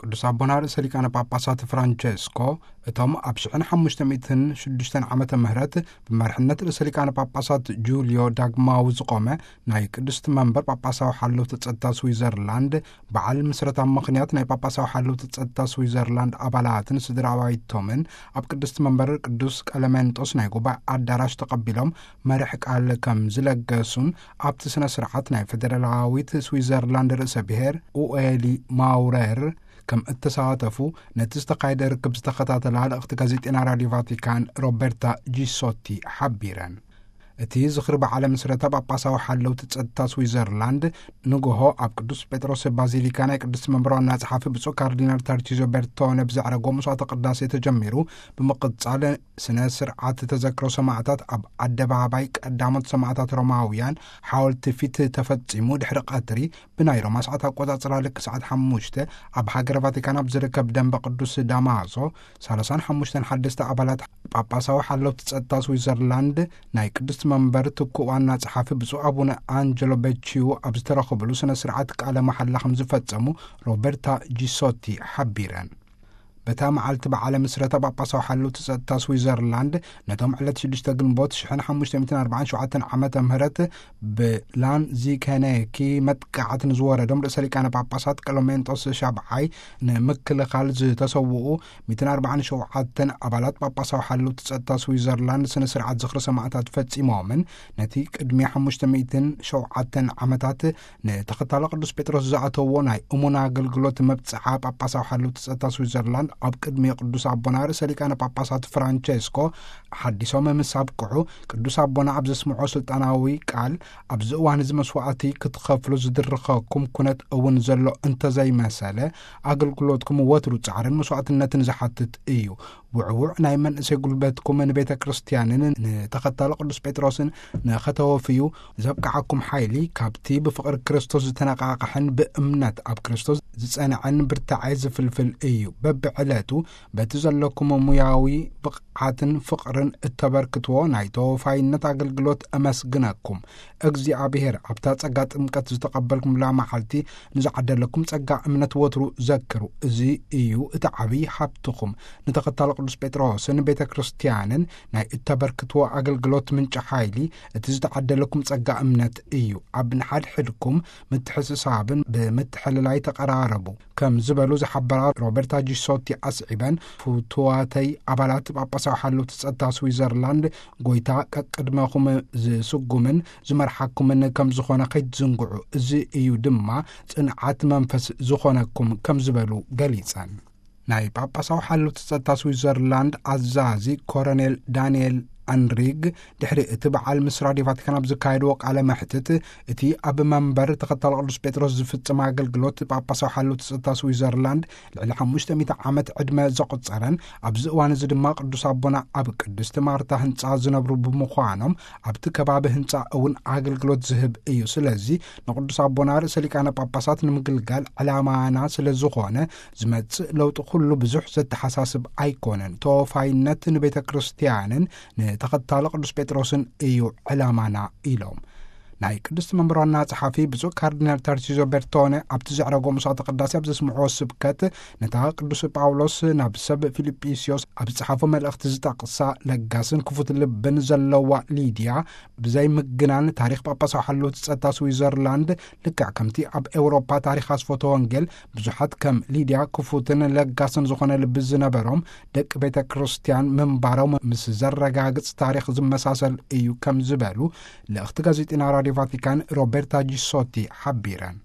ቅዱስ ኣቦና ርእሰ ሊቃነ ጳጳሳት ፍራንቸስኮ፣ እቶም ኣብ ሽሕን ሓሙሽተ ሚእትን ሽዱሽተን ዓመተ ምህረት ብመርሕነት ርእሰ ሊቃነ ጳጳሳት ጁልዮ ዳግማዊ ዝቖመ ናይ ቅድስቲ መንበር ጳጳሳዊ ሓለውቲ ጸጥታ ስዊዘርላንድ በዓል ምስረታ ምኽንያት፣ ናይ ጳጳሳዊ ሓለውቲ ጸጥታ ስዊዘርላንድ ኣባላትን ስድራ ኣባይቶምን ኣብ ቅድስቲ መንበር ቅዱስ ቀለሜንጦስ ናይ ጉባኤ ኣዳራሽ ተቐቢሎም መርሕ ቃል ከም ዝለገሱን፣ ኣብቲ ስነ ስርዓት ናይ ፌደራላዊት ስዊዘርላንድ ርእሰ ብሔር ኡኤሊ ማውረር ከም እተሳተፉ፣ ነቲ ዝተኻየደ ርክብ ዝተኸታተላ ልእኽቲ ጋዜጤና ራድዮ ቫቲካን ሮበርታ ጂሶቲ ሓቢረን። እቲ ዝኽሪ በዓለ ምስረታ ጳጳሳዊ ሓለውቲ ጸጥታ ስዊዘርላንድ ንግሆ ኣብ ቅዱስ ጴጥሮስ ባዚሊካ ናይ ቅድስቲ መንበር ዋና ጸሓፊ ብፁዕ ካርዲናል ታርቺዞ ቤርቶነ ብዘዕረጎ መስዋዕተ ቅዳሴ ተጀሚሩ፣ ብምቕጻል ስነ ስርዓት ተዘክሮ ሰማዕታት ኣብ ኣደባባይ ቀዳሞት ሰማዕታት ሮማውያን ሓወልቲ ፊት ተፈጺሙ። ድሕሪ ቀትሪ ብናይ ሮማ ሰዓት ኣቆጻጽራ ልክ ሰዓት ሓሙሽተ ኣብ ሃገረ ቫቲካን ኣብ ዝርከብ ደንበ ቅዱስ ዳማዞ፣ ሰላሳን ሓሙሽተን ሓደስቲ ኣባላት ጳጳሳዊ ሓለውቲ ጸጥታ ስዊዘርላንድ፣ ናይ ቅድስቲ መንበር ትኩእ ዋና ጸሓፊ ብፁዕ ኣቡነ ኣንጀሎ በቺዩ ኣብ ዝተረኸብሉ ስነ ስርዓት ቃለ መሓላ ከም ዝፈጸሙ ሮበርታ ጂሶቲ ሓቢረን። በታ መዓልቲ በዓለ ምስረታ ጳጳሳዊ ሓለውቲ ጸጥታ ስዊዘርላንድ፣ ነቶም ዕለት ሽዱሽተ ግንቦት ሽሕን ሓሙሽተ ሚእትን ኣርባዓን ሸውዓተን ዓመተ ምህረት ብላንዚከነኪ መጥቃዕቲ ንዝወረዶም ርእሰ ሊቃነ ጳጳሳት ቀለሜንጦስ ሻብዓይ ንምክልኻል ዝተሰውኡ ሚእትን ኣርባዓን ሸውዓተን ኣባላት ጳጳሳዊ ሓለውቲ ጸጥታ ስዊዘርላንድ ስነ ስርዓት ዝኽሪ ሰማዕታት ፈጺሞምን፣ ነቲ ቅድሚ ሓሙሽተ ሚእትን ሸውዓተን ዓመታት ንተኸታሊ ቅዱስ ጴጥሮስ ዝኣተዎ ናይ እሙን ኣገልግሎት መብጽዓ ጳጳሳዊ ሓለውቲ ጸጥታ ስዊዘርላንድ ኣብ ቅድሚ ቅዱስ ኣቦና ርእሰ ሊቃነ ጳጳሳት ፍራንቸስኮ ሓዲሶም ምስ ኣብቅዑ፣ ቅዱስ ኣቦና ኣብ ዘስምዖ ስልጣናዊ ቃል፣ "ኣብዚ እዋን እዚ መስዋዕቲ ክትኸፍሉ ዝድርኸኩም ኩነት እውን ዘሎ እንተዘይመሰለ፣ ኣገልግሎትኩም ወትሩ ጻዕርን መስዋዕትነትን ዝሓትት እዩ። ውዕዉዕ ናይ መንእሰይ ጉልበትኩም ንቤተ ክርስቲያንን ንተኸታሊ ቅዱስ ጴጥሮስን ንኸተወፍዩ ዘብቅዓኩም ሓይሊ ካብቲ ብፍቕሪ ክርስቶስ ዝተነቃቕሐን ብእምነት ኣብ ክርስቶስ ዝጸንዐን ብርታዐ ዝፍልፍል እዩ። በብዕለቱ በቲ ዘለኩም ሙያዊ ብቕዓትን ፍቕርን እተበርክትዎ ናይ ተወፋይነት ኣገልግሎት እመስግነኩም። እግዚኣብሔር ኣብታ ጸጋ ጥምቀት ዝተቐበልኩምላ መዓልቲ ንዝዓደለኩም ጸጋ እምነት ወትሩ ዘክሩ። እዚ እዩ እቲ ዓብዪ ሃብትኹም። ንተኸታሊ ቅዱስ ጴጥሮስን ቤተ ክርስቲያንን ናይ እተበርክትዎ ኣገልግሎት ምንጪ ሓይሊ እቲ ዝተዓደለኩም ጸጋ እምነት እዩ። ኣብ ንሓድሕድኩም ምትሕስሳብን ብምትሕልላይ ተቐራረቡ" ከም ዝበሉ ዝሓበራ ሮበርታ ጂሶቲ ኣስዒበን፣ "ፍቱዋተይ ኣባላት ጳጳሳዊ ሓለውቲ ጸጥታ ስዊዘርላንድ፣ ጎይታ ቀቅድመኹም ዝስጉምን ዝመርሓኩምን ከም ዝኾነ ከይትዝንግዑ፣ እዚ እዩ ድማ ጽንዓት መንፈስ ዝኾነኩም" ከም ዝበሉ ገሊጸን። ናይ ጳጳሳዊ ሓለውቲ ጸጥታ ስዊዘርላንድ ኣዛዚ ኮረኔል ዳንኤል ኣንሪግ፣ ድሕሪ እቲ በዓል ምስ ራድዮ ቫቲካን ኣብ ዝካየድዎ ቃለ መሕትት፣ እቲ ኣብ መንበር ተኸታሊ ቅዱስ ጴጥሮስ ዝፍጽም ኣገልግሎት ጳጳሳዊ ሓለውቲ ጸጥታ ስዊዘርላንድ ልዕሊ ሓሙሽተ ሚእቲ ዓመት ዕድመ ዘቑጸረን፣ ኣብዚ እዋን እዚ ድማ ቅዱስ ኣቦና ኣብ ቅድስቲ ማርታ ህንጻ ዝነብሩ ብምዃኖም፣ ኣብቲ ከባቢ ህንጻ እውን ኣገልግሎት ዝህብ እዩ። ስለዚ ንቅዱስ ኣቦና ርእሰ ሊቃነ ጳጳሳት ንምግልጋል ዕላማና ስለ ዝኾነ፣ ዝመጽእ ለውጢ ኩሉ ብዙሕ ዘተሓሳስብ ኣይኮነን። ተወፋይነት ንቤተ ክርስቲያንን ንተኸታሊ ቅዱስ ጴጥሮስን እዩ ዕላማና ኢሎም። ናይ ቅድስቲ መንበር ዋና ጸሓፊ ብፁዕ ካርዲናል ታርሲዞ ቤርቶነ ኣብቲ ዘዕረጎ መስዋዕተ ቅዳሴ ኣብ ዘስምዕዎ ስብከት፣ ነታ ቅዱስ ጳውሎስ ናብ ሰብ ፊልጵስዮስ ኣብ ዝጸሓፎ መልእኽቲ ዝጠቕሳ ለጋስን ክፉት ልብን ዘለዋ ሊድያ፣ ብዘይ ምግናን ታሪኽ ጳጳሳዊ ሓለውቲ ጸጥታ ስዊዘርላንድ፣ ልክዕ ከምቲ ኣብ ኤውሮጳ ታሪኽ ኣስፎተ ወንጌል ብዙሓት ከም ሊድያ ክፉትን ለጋስን ዝኾነ ልቢ ዝነበሮም ደቂ ቤተ ክርስቲያን ምንባሮም ምስ ዘረጋግጽ ታሪኽ ዝመሳሰል እዩ ከም ዝበሉ ልእኽቲ ጋዜጢና ራድዮ ቫቲካን ሮቤርታ ጂሶቲ ሓቢረን።